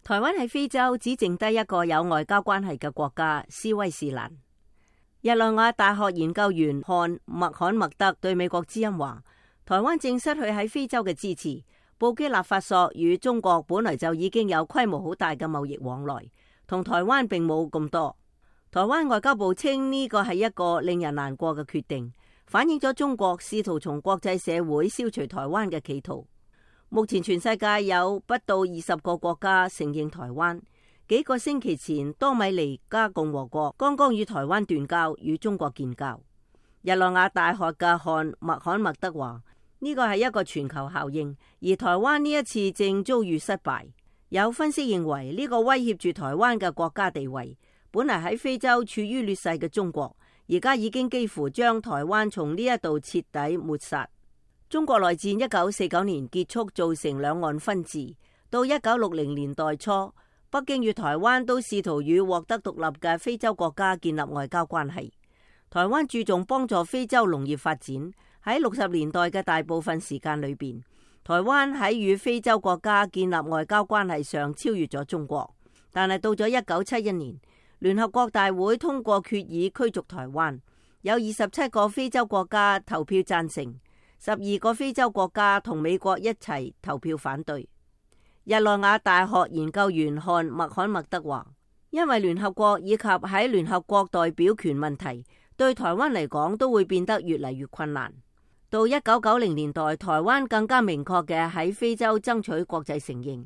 台灣喺非洲只剩低一個有外交關係嘅國家斯威士蘭。日內瓦大學研究員漢麥罕默德對美國之音話，台灣正失去喺非洲嘅支持。布基納法索與中國本來就已經有規模好大嘅貿易往來，同台灣並冇咁多。台灣外交部稱呢個係一個令人難過嘅決定，反映咗中國試圖從國際社會消除台灣嘅企圖。目前全世界有不到20個國家承認台灣。幾個星期前，多米尼加共和國剛剛與台灣斷交，與中國建交。日內瓦大學嘅漢麥罕默德話，呢個係一個全球效應，而台灣呢一次正遭遇失敗。有分析認為，呢個威脅住台灣嘅國家地位。本嚟喺非洲處於劣勢嘅中國，而家已經幾乎將台灣從呢一度徹底抹殺。中國內戰1949年結束，造成兩岸分治。到1960年代初，北京與台灣都試圖與獲得獨立嘅非洲國家建立外交關係。台灣注重幫助非洲農業發展。喺60年代嘅大部分時間裏邊，台灣喺與非洲國家建立外交關係上超越咗中國。但係到咗1971年，聯合國大會通過決議驅逐台灣，有27個非洲國家投票贊成，12個非洲國家同美國一齊投票反對。日內瓦大學研究員漢麥罕默德話，因為聯合國以及喺聯合國代表權問題，對台灣嚟講都會變得越嚟越困難。到1990年代，台灣更加明確嘅喺非洲爭取國際承認，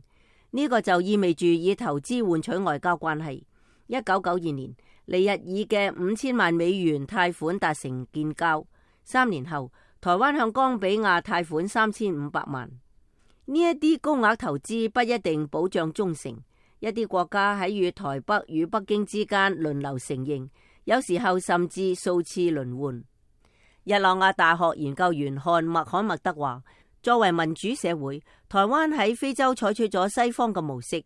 呢個就意味住以投資換取外交關係。1992年，尼日爾嘅5000萬美元貸款達成建交。3年後，台灣向岡比亞貸款3500萬。呢一啲高額投資不一定保障忠誠，一啲國家喺與台北與北京之間輪流承認，有時候甚至數次輪換。日內瓦大學研究員漢麥罕默德話，作為民主社會，台灣喺非洲採取咗西方嘅模式，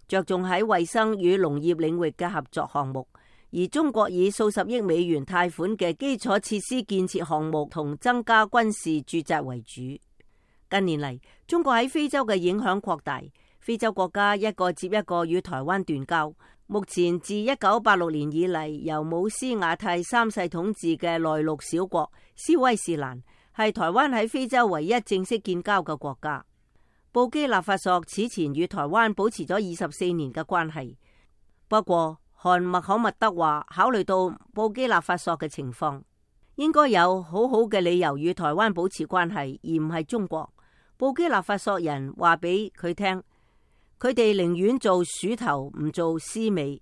着重喺衛生與農業領域嘅合作項目，而中國以數十億美元貸款嘅基礎設施建設項目同增加軍事駐紮為主。近年嚟，中國喺非洲嘅影響擴大，非洲國家一個接一個與台灣斷交。目前自1986年以嚟，由姆斯瓦蒂三世統治嘅內陸小國斯威士蘭，係台灣喺非洲唯一正式建交嘅國家。布基納法索此前與台灣保持咗24年嘅關係，不過漢麥罕默德話，考慮到布基納法索嘅情況，應該有好好嘅理由與台灣保持關係，而唔係中國。布基納法索人話俾佢聽，佢哋寧願做鼠頭唔做獅尾。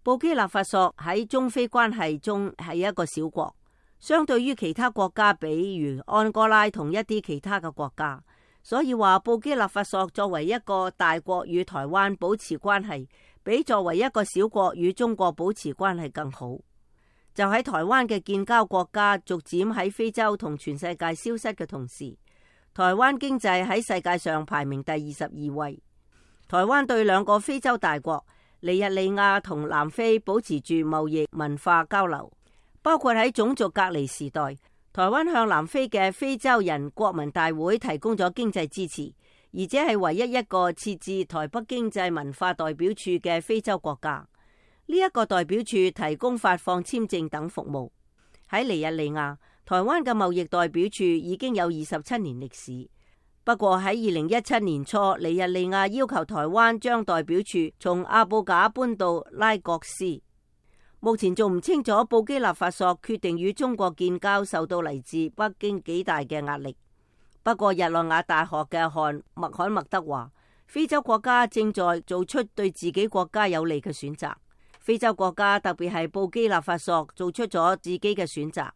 布基納法索喺中非關係中係一個小國，相對於其他國家，比如安哥拉同一啲其他嘅國家，所以話布基納法索作為一個大國與台灣保持關係，比作為一個小國與中國保持關係更好。就喺台灣嘅建交國家逐漸喺非洲同全世界消失嘅同時，台灣經濟喺世界上排名第22位。台灣對兩個非洲大國尼日利亞同南非保持住貿易文化交流，包括喺種族隔離時代，台灣向南非嘅非洲人國民大會提供咗經濟支持，而且係唯一一個設置台北經濟文化代表處嘅非洲國家。呢一個代表處提供發放簽證等服務。喺尼日利亞，台灣嘅貿易代表處已經有27年歷史。不過喺2017年初，尼日利亞要求台灣將代表處從阿布賈搬到拉各斯。目前仲唔清楚布基納法索決定與中國建交受到嚟自北京幾大嘅壓力。不過日內瓦大學嘅漢麥罕默德話，非洲國家正在做出對自己國家有利嘅選擇。非洲國家特別係布基納法索做出咗自己嘅選擇，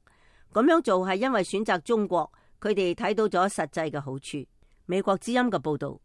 咁樣做係因為選擇中國，佢哋睇到咗實際嘅好處。美國之音嘅報道。